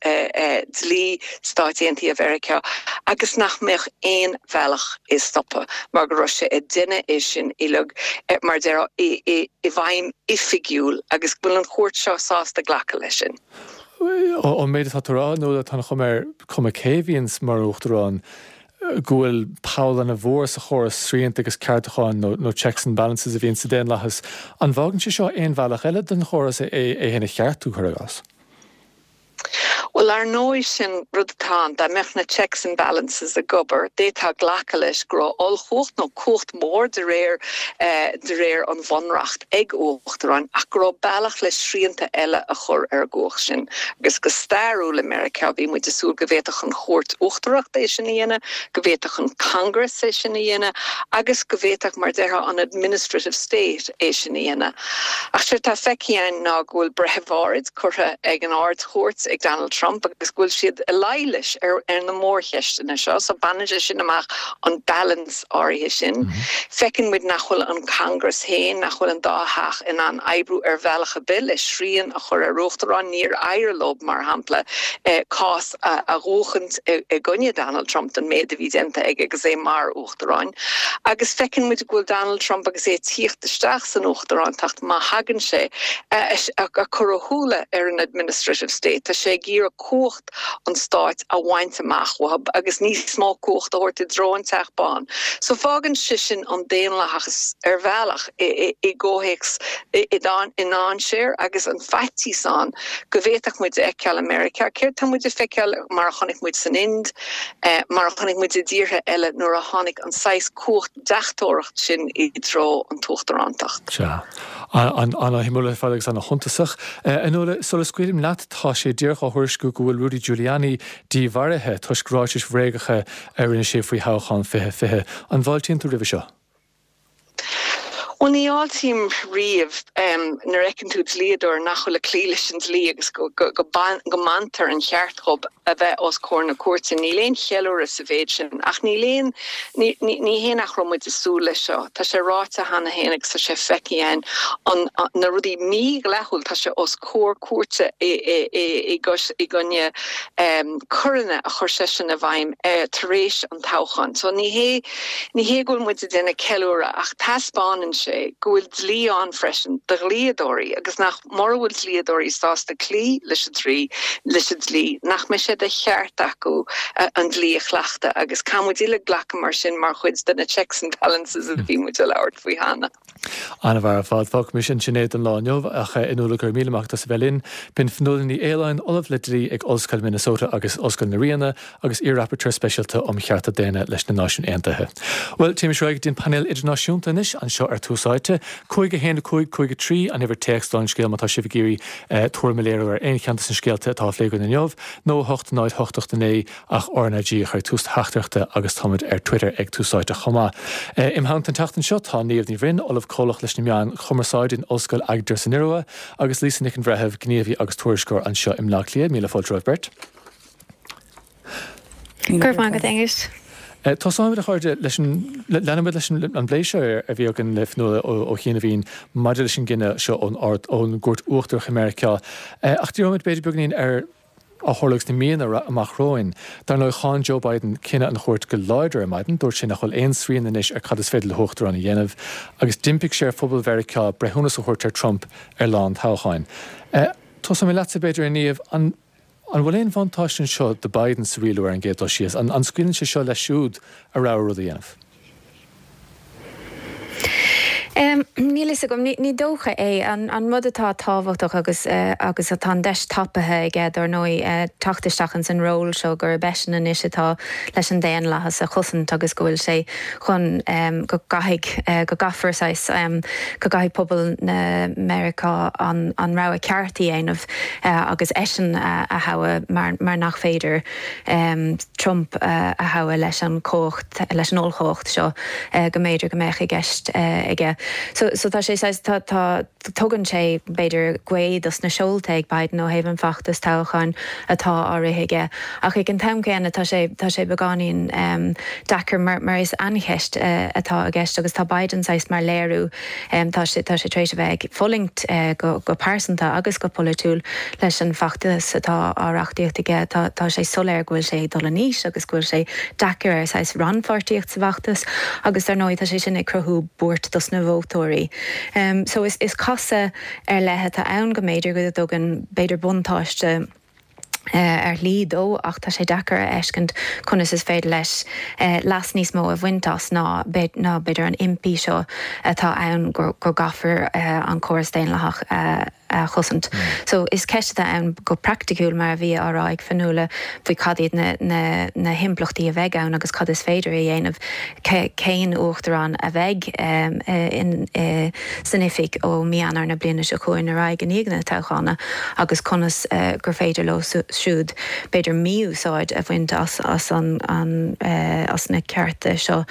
dlí Stáit Aontaithe Mheiriceá agus nach mbeadh aon bhealach é a stopadh mar go raibh sé ag déanamh é sin uilig, mar a déarfá, i bhfeidhm oifigiúil agus go bhfuil an chúirt seo sásta glacadh leis sin. Ón méid atá tú a rá, Nuala, tá an chuma air, cuma cé a bhíonns mar uachtarán, go bhfuil poll ana-mhór sa chóras srianta agus ceartúcháin nó checks and balances a bhíonn sa daonlathas. An bhfágann sé seo aon bhealach eile don chóras é féin a cheartú, cuir i gcás? Bhuel, ar ndóigh, sin rud atá ann. Dá mbeadh na checks and balances ag obair, d'fhéadfá glacadh leis go raibh ollchumhacht nó cumhacht mhór de réir de réir an bhunreacht ag uachtaráin ach go raibh bealach le srianta eile a chur ar an gcumhacht sin. Agus go stairiúil i Meiriceá bhí muid ag súil go bhféadfadh an Chúirt Uachtarach é sin a dhéanamh, go bhféadfadh an Congress é sin a dhéanamh agus go bhféadfadh, mar a déarfá, an administrative state é sin a dhéanamh. Ach séard atá feicthe againn ná go bhfuil breithimh áirid curtha ag an Ard-Chúirt ag Donald Trump agus go bhfuil siad i luí leis ar na mórcheisteanna seo. So baineann sé sin amach an balance áirithe sin. Feiceann muid nach bhfuil an Congress féin, nach bhfuil an dá theach in ann oibriú ar bhealach ar bith le srian a chur ar uachtarán. Níor éirigh leo, mar shampla, cás a bhuachaint i gcoinne Donald Trump don méid a bhí déanta aige agus é mar uachtarán. Agus feiceann muid go bhfuil Donald Trump agus é ag tíocht isteach san uachtarántacht, má thagann sé, ag cur a shúile ar an administrative state. Tá sé ag iarraidh cumhacht an stáit a bhaint amach uathu agus níos mó cumhacht a thabhairt i dtreo an Teach Bán. So fágann sé sin an daonlathas ar bhealach i gcomhthéacs i ndainséar agus an faitíos ann go bhféadfadh muid a fheiceáil i Meiriceá céard tá muid ag feiceáil mar a chonaic muid san Ind, mar a chonaic muid i dtíortha eile nuair a tháinig an saghas cumhacht deachtóireacht sin i dtreo an t-uachtarántacht. Sea. An-shuimiúil ar fad agus an-shuntasach. A Nuala, sula scaoilim leat, tá sé díreach á thuairisciú go bhfuil Rudy Giuliani dímharaithe toisc ráitis bhréagacha a rinne sé faoi thoghchán 2020. An bhfáiltíonn tú roimhe seo? Bhuel, ní fháiltím riamh nuair a fheiceann tú dlíodóir nach bhfuil ag cloí leis an dlí agus go mbaintear an cheart dhób a bheith os comhair na cúirte. Níl aon cheiliúradh sa mhéid sin. Ach níl aon, ní hé nach raibh muid ag súil leis seo. Tá sé ráite cheana féin agus tá sé feicthe againn, an, na rudaí mídhleathúil, tá sé os comhair cúirte i gcoinne coireanna a chuir seisean i bhfeidhm tar éis an toghcháin. So ní hé, ní hé go bhfuil muid ag déanamh ceiliúradh ach taispeánann sé go bhfuil dlí ann freisin do dhlíodóirí agus nach, mura bhfuil dlíodóirí sásta cloí leis an dlí, leis an dlí, nach mbeidh sé de cheart acu an dlí a chleachtadh agus caithfidh muid uilig glacadh mar sin mar chuid de na checks and balances a bhí muid ag labhairt faoi cheana. An-mhaith ar fad. Fágfaimis ansin é don lá inniu ach Fhionnuala go raibh míle maith agat as a bheith linn. B'in Fionnuala Ní Aoláin, Ollamh le Dlí ag Ollscoil Minnesota agus Ollscoil na Ríona agus iar-Rapporteur Speisialta um Chearta Daonna leis na Náisiúin Aontaithe. Bhuel, téimis ar aghaidh go dtí an painéal idirnáisiúnta anois anseo ar Tús Áite. 5 1 5 5 3 an uimhir téacs don scéal má tá sibh ag iarraidh tuairim a léiriú ar aon cheann de na scéalta atá á phlé againn inniu, nó 8 0 8 8 9 ach RnaG a chur ag tús do theachtaireachta agus táimid ar Twitter ag Tús Áite chomh maith. Im theannta an tseachtain seo tá Niamh Ní Bhroin, Ollamh Comhlach leis na Meáin Chumarsáide in Ollscoil Agder san Iorua agus Lisa Nic an Bhreithimh, gníomhaí agus tuairisceoir anseo i mBleá Cliath. Míle fáilte romhaibh beirt. Go raibh maith agat, Aonghus. Tosóimid, a chairde, leis an, leanfaimid leis an bplé seo a bhí againn le Fionnuala Ó Chiannabháin maidir leis an gcinneadh seo ón Ard, ón gCúirt Uachtarach i Meiriceá. Ach díreoimid b'fhéidir beagáinín ar a tharlóidh sna míonna amach romhainn. Dar ndóigh, cháin Joe Biden cinneadh an chúirt go láidir ar maidin. Dúirt sé nach bhfuil aon srian anois ar cad is féidir le huachtarán a dhéanamh agus d'impigh sé ar phobal Mheiriceá breithiúnas a thabhairt ar Trump ar lá an toghcháin. Tosóidh mé leatsa, b'fhéidir, a Niamh. An bhfuil aon bhuntáiste anseo do Biden sa rialú ar an gcéad dul síos? An scaoileann sé seo leis siúd a rogha rud a dhéanamh? Níl fhios agam. Ní dócha é. An rud atá tábhachtach agus agus atá an deis tapaithe aige, dar ndóigh, teacht isteach ins an ról seo gurb eisean anois atá leis an daonlathas a chosaint agus go bhfuil sé chun go gcaithfidh, go gcaithfear saghas, go gcaithfidh pobal na Meiriceá an rogha ceart a dhéanamh agus eisean a thoghadh mar nach féidir Trump a thoghadh leis an chumhacht, leis an ollchumhacht seo go mb'fhéidir go mbeadh i gceist aige. So, so tá sé saghas, tá, tá, tugann sé b'fhéidir gaoth dos na seolta ag Biden ó thaobh an feachtas toghcháin atá á rith aige. Ach ag an t-am céanna tá sé, tá sé beagáinín deacair mar, mar is aincheist atá i gceist agus tá Biden saghas mar léiriú Tá sé tá sé tar éis a bheith ag fulaingt go go pearsanta agus go polaitiúil leis an bhfeachtas atá á reachtaíocht aige. Tá tá sé soiléir go bhfuil sé ag dul in aois agus go bhfuil sé deacair air saghas rannpháirtíocht sa bhfeachtas agus dar ndóigh tá sé sin ag cruthú buairt dos na vótóirí. So is is casadh ar leith atá ann go mb'fhéidir go dtugann b'fhéidir buntáiste ar shlí dó ach tá sé deacair a fheiscint conas is féidir leis leas níos mó a bhaint as ná b'fhéidir an impí seo atá ann go gcaithfear an córas daonlathach a chosaint. So is ceist atá ann go praiticiúil mar a bhí á rá ag Fionnuala faoi cad iad na himpleachtaí a bheidh ann agus cad is féidir a dhéanamh, cén uachtarán a bheidh in san oifig ó mí Eanáir na bliana seo chugainn ar aghaidh i ndiaidh na toghchána agus conas gur féidir leo siúd b'fhéidir mí-úsáid a bhaint as as an as na cearta seo.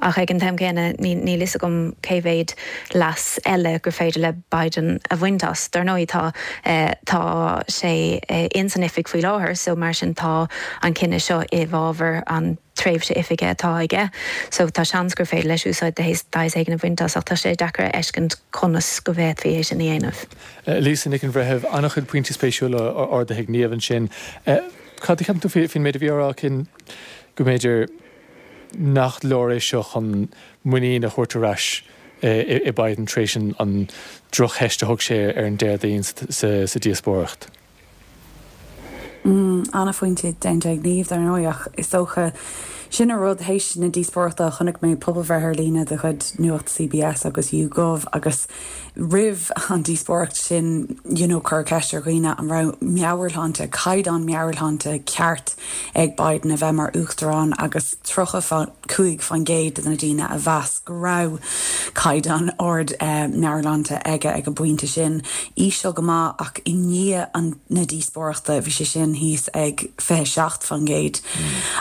Ach ag an t-am céanna níl fhios agam cé mhéad leas eile gur féidir le Biden a bhaint as. Dar ndóigh tá tá sé ins an oifig faoi láthair so mar sin tá an cinneadh seo i bhfabhar an tréimhse oifige atá aige so tá seans gur féidir leis úsáid de shaghas éigin a bhaint as ach tá sé deacair a fheiscint conas go bhféadfaí é sin a dhéanamh. Lisa Nic an Bhreithimh, an-chuid pointí spéisiúla ardaithe ag Niamh ansin. Cad a cheapann tú faoin méid a bhí á rá aici go mb'fhéidir nach leor é seo chun muinín a thabhairt ar ais i Biden tar éis an drochtheist a thug sé ar an Déardaoin sa díospóireacht? An-phointe déanta ag Niamh, dar ndóigh, ach is dócha, sin an rud, théis na díospóireachta chonaic mé pobalbhreith ar líne de chuid Nuacht CBS agus YouGov agus roimh an díospóireacht sin you know cuireadh ceist ar dhaoine an raibh meabhairshláinte, caighdeán meabhairshláinte ceart ag Biden a bheith mar uachtarán agus 35% de na daoine a mheas go raibh caighdeán ard meabhairshláinte aige ag an bpointe sin. Íseal go maith ach i ndiaidh an na díospóireachta bhí sé sin thíos ag 27%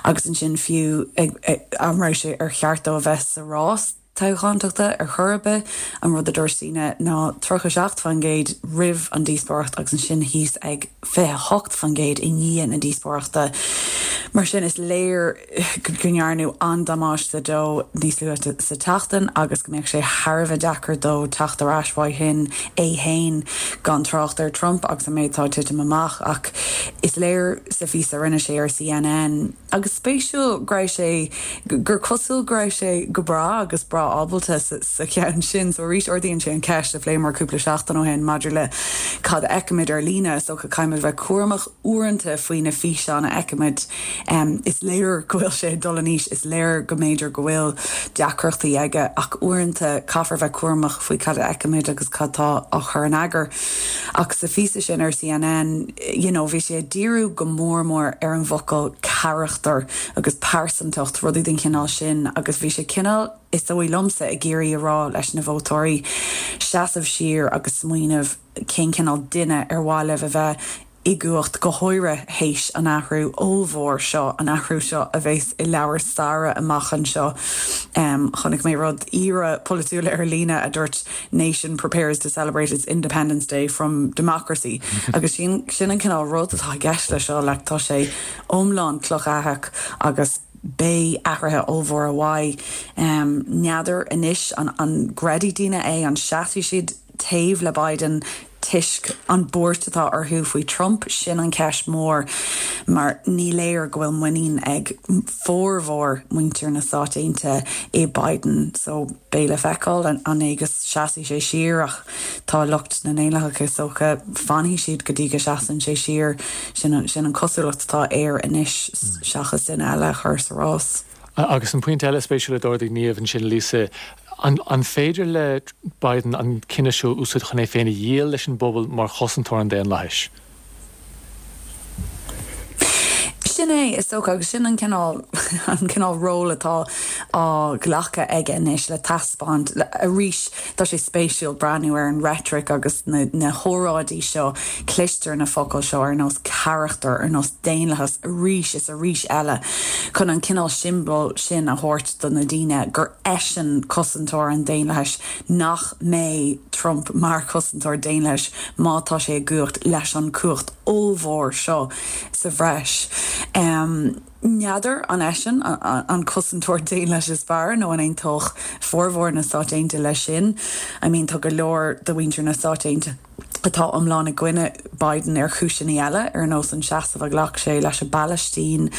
agus ansin fiú an raibh sé ar cheart dó a bheith sa rás. toghchántachta ar chor ar bith. An rud a dúirt daoine ná 37% roimh an díospóireacht agus ansin thíos ag 28% i ndiaidh na díospóireachta. Mar sin is léir go ndearnadh an-damáiste dó níos luaithe sa tseachtain agus go mbeadh sé thar a bheith deacair dó teacht ar ais uaidh sin é féin, gan trácht ar Trump agus an méid atá ag titim amach. Ach is léir sa phíosa a rinne sé ar CNN, Agus spéisiúil go raibh sé, gur cosúil go raibh sé go breá agus breá ábalta sa cheann sin. So arís ardaíonn sé an cheist a phléamar cúpla seachtain ó shin maidir le cad a fheicimid ar líne. Is dócha caithfimid bheith cúramach uaireanta faoi na físeáin a fheicimid. Is léir go bhfuil sé ag dul in aois, is léir go mb'fhéidir go bhfuil deacrachtaí aige ach uaireanta caithfear bheith cúramach faoi cad a fheicimid agus cad tá á chur in eagar. Ach sa phíosa sin ar CNN, you know, bhí sé ag díriú go mór mór ar an bhfocal carachtar agus pearsantacht, rudaí den chineál sin agus bhí sé cineál, is dóigh liomsa, ag iarraidh a rá leis na vótóirí seasamh siar agus smaoineamh cén cineál duine ar mhaith libh a bheith i gcumhacht, go háirithe théis an athrú ollmhór seo, an athrú seo a bheas i leabhair staire amach anseo. Chonaic mé rud aoire polaitiúil ar líne a dúirt nation prepares to celebrate its independence day from democracy agus sin sin an cineál rud atá i gceist leis seo, like tá sé iomlán clochaitheach agus beidh athruithe ollmhóra uaidh. N'fheadar anois an an gcreidfidh daoine é, an seasfaidh siad taobh le Biden toisc an buairt atá orthu faoi Trump, sin an cheist mhór mar ní léir go bhfuil muinín ag formhór muintir na Stát Aontaithe i Biden so beidh le feiceáil an é go seasfaidh sé siar ach tá lucht na nDaonlathach is dócha fanfaidh siad go dtí go seasann sé siar, sin an cosúlacht atá air anois seachas duine eile a chur sa rás. Agus an pointe eile spéisiúil a d'ardaigh Niamh ansin, Lisa, an féidir le Biden an cinneadh seo a úsáid chun é féin a dhíol leis an bpobal mar chosantóir an daonlathais? Sin é, is dócha, agus sin an cineál, an cineál ról atá á ghlacadh aige anois le taispeáint, arís, tá sé spéisiúil breathnú ar an reitric agus na, na hóráidí seo, cloistear na focail seo ar nós carachtar, ar nós daonlathas arís is arís eile chun an cineál siombail sin a thabhairt do na daoine gur eisean cosantóir an daonlathais, nach mbeidh Trump mar chosantóir daonlathais má tá sé i gcumhacht leis an chumhacht ollmhór seo sa bhreis. N'fheadar an eisean an cosantóir daonlathais is fearr nó an aontódh formhór na Stát Aontaithe leis sin. I mean tá go leor de mhuintir na Stát Aontaithe atá iomlán i gcoinne Biden ar chúiseanna eile, ar nós an seasamh a ghlac sé leis an bPalaistín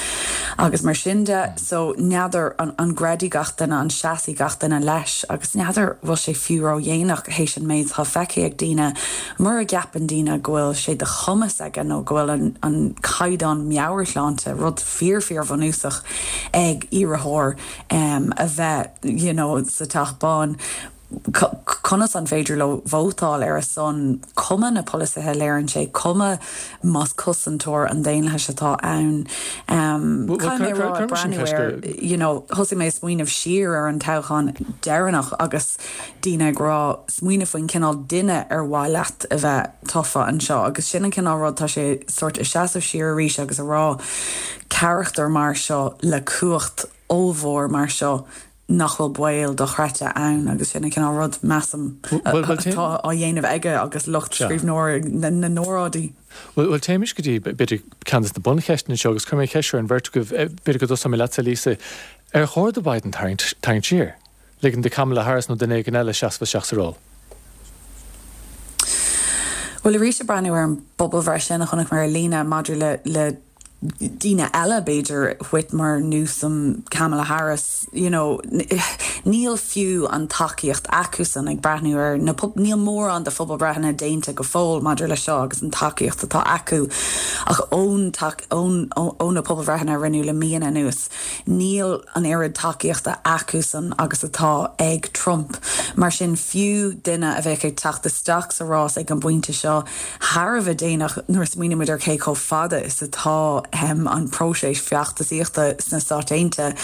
agus mar sin de. So n'fheadar an gcreidfidh gach duine, an seasfaidh gach duine leis agus n'fheadar bhfuil sé fiú ródhéanach théis an méid atá feicthe ag daoine. Mura gceapann daoine go bhfuil sé de chumas aige nó go bhfuil an caighdeán meabhairshláinte, rud fíor fíor bhunúsach ag iarrthóir a bheith you know sa Teach Bán, Conas an féidir leo vótáil ar a son, cuma na polasaithe a léiríonn sé, cuma más cosantóir an daonlathais atá ann? Caithfidh mé a rá, ag breathnú air, you know, thosaigh mé ag smaoineamh siar ar an toghchán deireanach agus daoine ag rá, smaoineamh faoin cineál duine ar mhaith leat a bheith tofa anseo agus sin an cineál rud, tá sé sórt ag seasamh siar arís agus a rá, carachtar mar seo le cumhacht ollmhór mar seo, nach bhfuil baol dochreidte ann agus sin an cineál rud, measaim, atá á dhéanamh aige agus lucht scríbhneoirí na n-óráidí. Bhuel, téimis go dtí, b'fhéidir, ceann de na buncheisteanna seo agus cuirfidh mé an cheist seo ar an bheirt agaibh, b'fhéidir go dtosóidh mé leatsa, Lisa. Ar chóir do Biden tarraingt siar? Ligean do Kamala Harris nó duine éigin eile seasamh isteach sa ról? Bhuel, arís ag breathnú ar an bpobalbhreith sin a chonaic mé ar líne maidir le daoine eile, b'fhéidir, Whitmer, Newsom, Kamala Harris, you know, níl fiú an tacaíocht acusan ag breathnú ar na, níl mórán de phobalbhreitheanna déanta go fóill maidir leis seo agus an tacaíocht atá acu ach ón, ón, ó na pobalbhreitheanna a rinneadh le míonna anuas, níl an oiread tacaíochta acusan agus atá ag Trump. Mar sin, fiú duine a bheadh ag teacht isteach sa rás ag an bpointe seo, thar a bheith déanach nuair a smaoinímid ar cé chomh fada is atá an próiseas feachtasaíochta sna Stáit Aontaithe.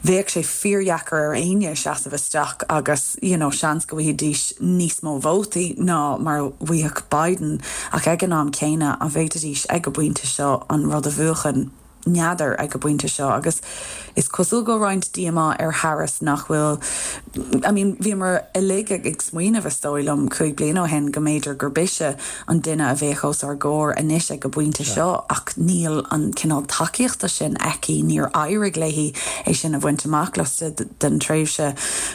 Bheadh sé fíordheacair ar éinne seasamh isteach agus you know seans go bhfaighidís níos mó vótaí ná mar a bhfaigheadh Biden ach ag an am céanna an bhféadfaidís ag an bpointe seo an rud a bhuachan? N'fheadar ag an bpointe seo agus is cosúil go bhfuil roinnt díomá ar Harris nach bhfuil. I mean, bhíomar uilig ag smaoineamh, is dóigh liom, 5 bliana ó shin go mb'fhéidir gurb ise an duine a bheadh os ár gcomhair anois ag an bpointe seo ach níl an cineál tacaíochta sin aici, níor éirigh léi é sin a bhaint amach laistigh den tréimhse.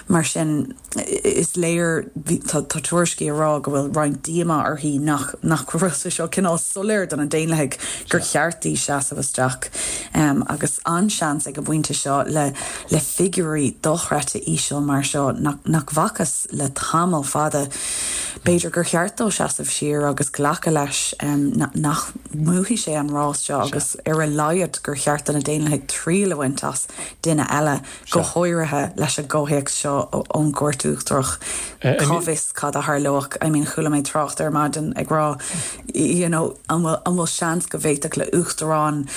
Mar sin, is léir, tá tuairiscí ag rá go bhfuil roinnt díomá uirthi nach nach bhfuil sé seo cineál soiléir do na Daonlathaigh gur cheart di seasamh isteach agus an-seans ag an bpointe seo le le figiúirí dochreidte íseal mar seo nach bhfacthas le tamall fada, b'fhéidir gur cheart dó seasamh siar agus glacadh leis nach mbuafaidh sé an rás seo agus ar a laghad gur cheart do na Daonlathaigh triail a bhaint as duine eile, go háirithe leis an gcomhthéacs seo ón gCúirt Uachtarach. Cá bhfios cad a tharlódh? I mean chuala mé trácht ar maidin ag rá you know an bhfuil seans go bhféadfadh le uachtarán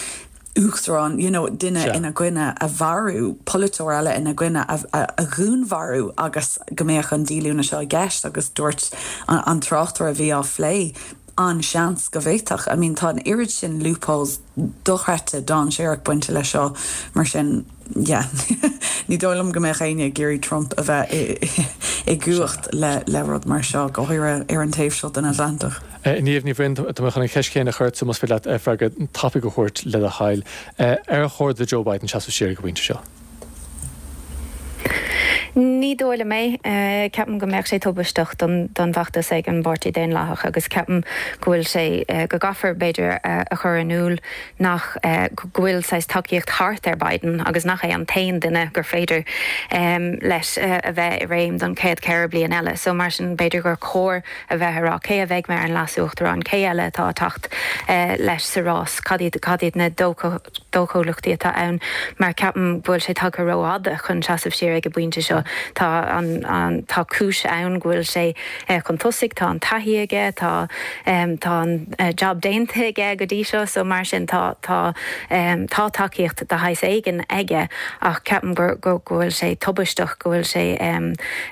uachtarán, you know, duine ina gcoinne a mharú, polaiteoir eile ina gcoinne a dhúnmharú agus go mbeadh an díolúine seo i gceist agus dúirt an tráchtaire a bhí á phlé, an-seans go bhféadfadh. I mean, tá an oiread sin loopholes dochreidte dainséarach bainte leis seo, mar sin, yeah, ní dóigh liom go mbeadh éinne ag iarraidh Trump a bheith i gcumhacht le rud mar seo, go háirithe ar an taobh seo den Atlantach. Niamh Ní Bhroin, tá mé chun an cheist chéanna a chur ortsa, más féidir leat freagra tapaidh a thabhairt le do thoil. Ar chóir do Joe Biden seasamh siar ag an bpointe seo? Ní dóigh liom é. Ceapaim go mbeadh sé tubaisteach don bhfeachtas ag an bPáirtí Daonlathach agus ceapaim go bhfuil sé, go gcaithfear b'fhéidir a chur in iúl nach, go bhfuil saghas tacaíocht thart ar Biden agus nach é an t-aon duine gur féidir leis a bheith i réim don chéad cheithre bliain eile. So mar sin b'fhéidir gur chóir a bheith ag rá cé a bheidh mar an leas-uachtarán, cé eile atá ag teacht leis sa rás, cad iad, cad iad na dóchúlachtaí atá ann, mar ceapaim go bhfuil sé tagtha rófhada chun seasamh siar ag an bpointe seo. Tá an, an, tá cúis ann go bhfuil sé chun tosaigh, tá an taithí aige, tá, tá an job déanta aige go dtí seo, so mar sin tá, tá, tá tacaíocht de shaghas éigin aige ach ceapaim gur, go, go bhfuil sé tubaisteach, go bhfuil sé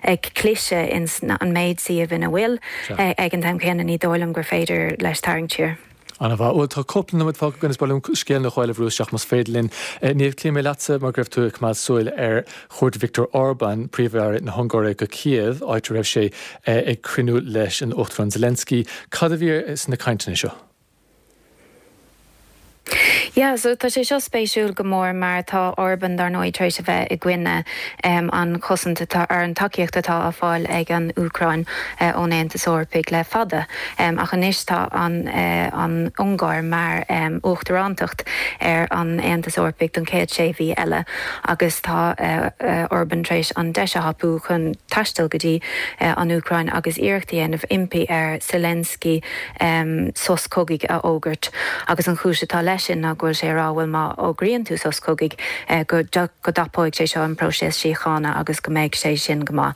ag cliseadh ins an méid suíomh ina bhfuil. Ag an t-am céanna ní dóigh liom gur féidir leis tarraingt siar. An-mhaith. Bhuel, tá cúpla nóiméad fágtha againn is ba mhaith liom scéal nó dhó eile a bhrú isteach más féidir linn. Niamh, cloífidh mé leatsa mar go raibh tú ag coimeád súil ar chuairt Viktor Orbán, Príomh-Aire na hUngáire, go Cíév, áit a raibh sé ag cruinniú leis an Uachtarán Zelensky. Cad a bhí sna cainteanna seo? Yeah, so tá sé seo spéisiúil go mór mar tá Orban dar ndóigh tar éis a bheith i gcoinne an chosaint atá, ar an tacaíocht atá á fáil ag an Úcráin ón Aontas Eorpaigh le fada. Ach anois tá an an Ungáir mar uachtarántacht ar an Aontas Eorpaigh don chéad sé mhí eile agus tá Orban tar éis an deis a thapú chun taisteal go dtí an Úcráin agus iarracht a dhéanamh impí ar Zelensky sos cogaidh a fhógairt agus an chúis atá leis sin ná go bhfuil sé ag rá bhuel má fhógraíonn tú sos cogaidh go go dtapóidh sé seo an próiseas síochána agus go mbeidh sé sin go maith.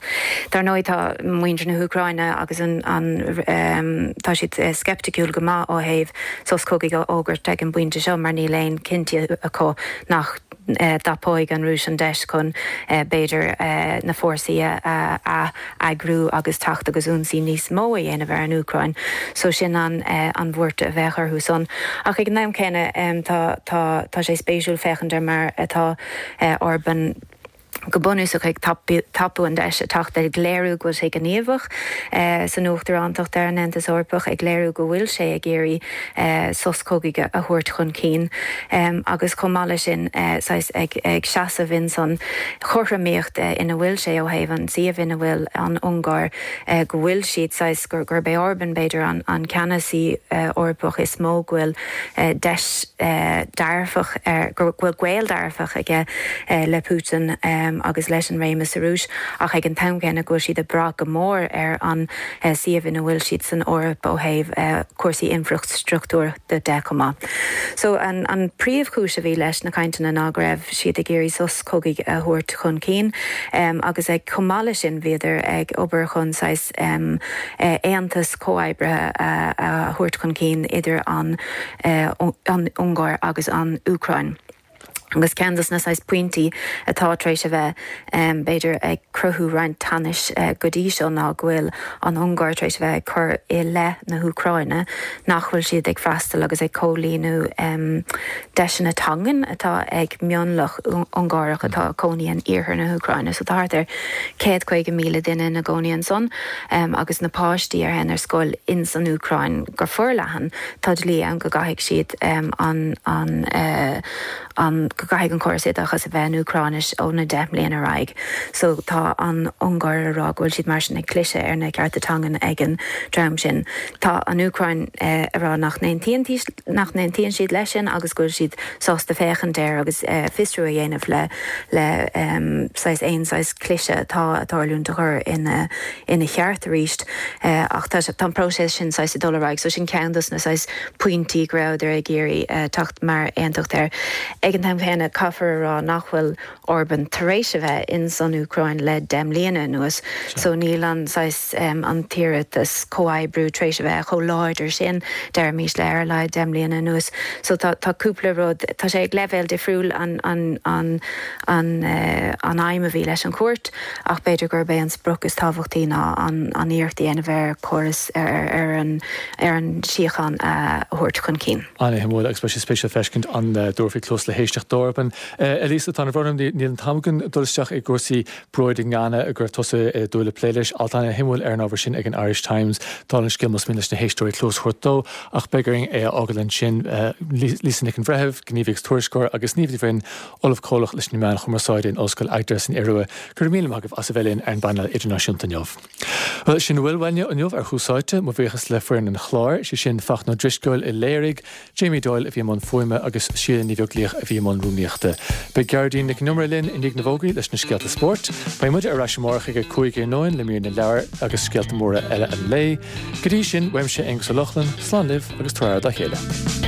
Dar ndóigh tá muintir na hÚcráine agus an an tá siad sceipticiúil go maith ó thaobh sos cogaidh a fhógairt ag an bpointe seo mar níl aon cinnte acu nach dtapóidh an Rúis an deis chun b'fhéidir na fórsaí a a eagrú agus teacht agus ionsaí níos mó a dhéanamh ar an Úcráin. So sin an an bhuairt a bheadh orthu san. Ach ag an am céanna tá tá tá sé spéisiúil féachaint ar mar atá Orban go bunúsach ag tapú an deis ag teacht ag léiriú go bhfuil sé gníomhach san uachtarántacht ar an Aontas Eorpach, ag léiriú go bhfuil sé ag iarraidh sos cogaidh a thabhairt chun cinn agus chomh maith leis sin saghas ag ag seasamh in san chothromaíocht ina bhfuil sé ó thaobh an tsuímh ina bhfuil an Ungáir, go bhfuil siad saghas, gurb é Orban b'fhéidir an ceannasaí Eorpach is mó go bhfuil deis dearfach, go bhfuil gaol dearfach aige le Putin agus leis an réimeas sa Rúis ach ag an t-am céanna go bhfuil siad ag brath go mór ar an suíomh ina bhfuil siad san Eoraip ó thaobh cúrsaí infreastruchtúir de chomh maith. So an príomhchúis a bhí leis na cainteanna ná go raibh siad ag iarraidh sos cogaidh a thabhairt chun cinn agus ag chomh maith leis sin bhíodar ag obair chun saghas aontas comhoibrithe a thabhairt chun cinn idir an an Ungáir agus an Úcráin. Agus ceann dos na saghas pointí atá tar éis a bheith, b'fhéidir, ag cruthú roinnt teannais go dtí seo ná go bhfuil an Ungáir tar éis a bheith ag cur i leith na hÚcráine nach bhfuil siad ag freastal agus ag comhlíonadh deiseanna teangan atá ag mionlach Ungáireach atá ag cónaí in iarthar na hÚcráine. So tá thart ar 150,000 duine ina gcónaí ansan agus na páistí a théann ar scoil ins an Úcráin go forleathan tá dlí ann go gcaithfidh siad an an an go gcaithfidh an córas oideachais a bheith in Úcráinis ó na 10 mbliana ar aghaidh. So tá an Ungáir a rá go bhfuil siad mar sin ag cliseadh ar na cearta teangan ag an dream sin. Tá an Úcráin a rá nach n-aontaíonn nach n-aontaíonn siad leis sin agus go bhfuil siad sásta féachaint air agus fiosrú a dhéanamh le le saghas aon saghas cliseadh atá ag tarlúint a chur ina ina cheart arís ach tá tá an próiseas sin saghas ag dul ar aghaidh so sin ceann dos na saghas pointí go rabhadar ag iarraidh teacht mar aontacht air. Ag an t-am chéanna caithfear a rá nach bhfuil Orban tar éis a bheith ins an Úcráin le 10 mbliana anuas so níl an saghas an t-iarratas comhoibriú tar éis a bheith chomh láidir sin deirimis le ar a laghad 10 mbliana anuas so tá tá cúpla rud tá sé ag leibhéal difriúil an an an an an aidhm a bhí leis an chuairt ach b'fhéidir gurb é an sprioc is tábhachtaí ná an an iarracht a dhéanamh ar chóras ar ar an ar an síocháin a thabhairt chun cinn. An-shuimiúil agus beidh sé spéisiúil feiscint an dtabharfaí cluas le héisteacht d'Orban. A Lisa, tá an-bhrón orm, níl an t-am againn dul isteach i gcúrsaí bróid i nGana go raibh tusa ag dúil le plé leis. Alt an-shuimiúil ar an ábhar sin ag an Irish Times. Dála an scéil más mian leis na héisteoirí cluas a thabhairt dó ach beidh orainn é a fhágáil ansin. Lisa Nic an Bhreithimh, gníomhaí agus tuairisceoir agus Niamh Ní Bhroin, Ollamh Comhlach leis na Meáin Chumarsáide in Ollscoil Agder san Iorua. Go raibh míle maith agaibh as a bheith linn ar an bpainéal idirnáisiúnta inniu. Bhuel, sin a bhfuil uainne inniu ar Thús Áite. Mo bhuíochas le foireann an chláir, sé sin Fachtna Ó Drisceoil a léirigh, Jamie Doyle a bhí i mbun fuaime agus Síle Ní Bheaglaoich a bhí i mbun rúnaíochta. Beidh Gearóidín Nic an Iomaire linn i ndiaidh na bhfógraí leis na scéalta spóirt. Beidh muide ar ais amárach ag 5 iarnóin le mír na leabhar agus scéalta móra eile an lae. Go dtí sin, uaimse Aonghus Ó Lochlainn, slán libh agus tabhair aire dá chéile.